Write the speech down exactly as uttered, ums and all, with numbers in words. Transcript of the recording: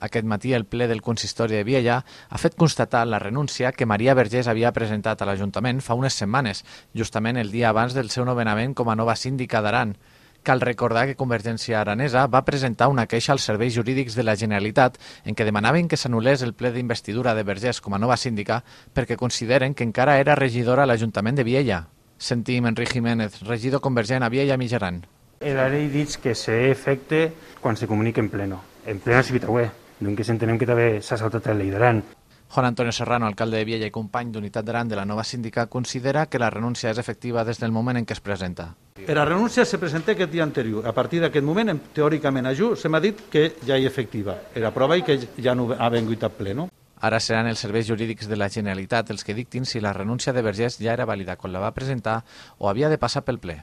Aquest matí el ple del consistori de Viella ha fet constatar la renúncia que Maria Vergés havia presentat a l'Ajuntament fa unes setmanes, justament el dia abans del seu nomenament com a nova síndica d'Aran. Cal recordar que Convergència Aranesa va presentar una queixa als serveis jurídics de la Generalitat en què demanaven que s'anul·lés el ple d'investidura de Vergés com a nova síndica perquè consideren que encara era regidora a l'Ajuntament de Viella. Sentim Enric Jiménez, regidor convergent a Viella Mitjaran. La llei diu que s'efecte quan se comunica en pleno. En pleno si vitaué, doncs entenem que també s'ha saltat la llei d'Aran. Juan Antonio Serrano, alcalde de Viella i company d'Unitat d'Aran de la nova síndica, considera que la renúncia és efectiva des del moment en què es presenta. La renúncia se presenta aquest dia anterior. A partir d'aquest moment, teòricament, a Ju, se m'ha dit que ja hi efectiva. Era prova i que ja no ha vengut a ple, no? Ara seran els serveis jurídics de la Generalitat els que dictin si la renúncia de Vergés ja era vàlida quan la va presentar o havia de passar pel ple.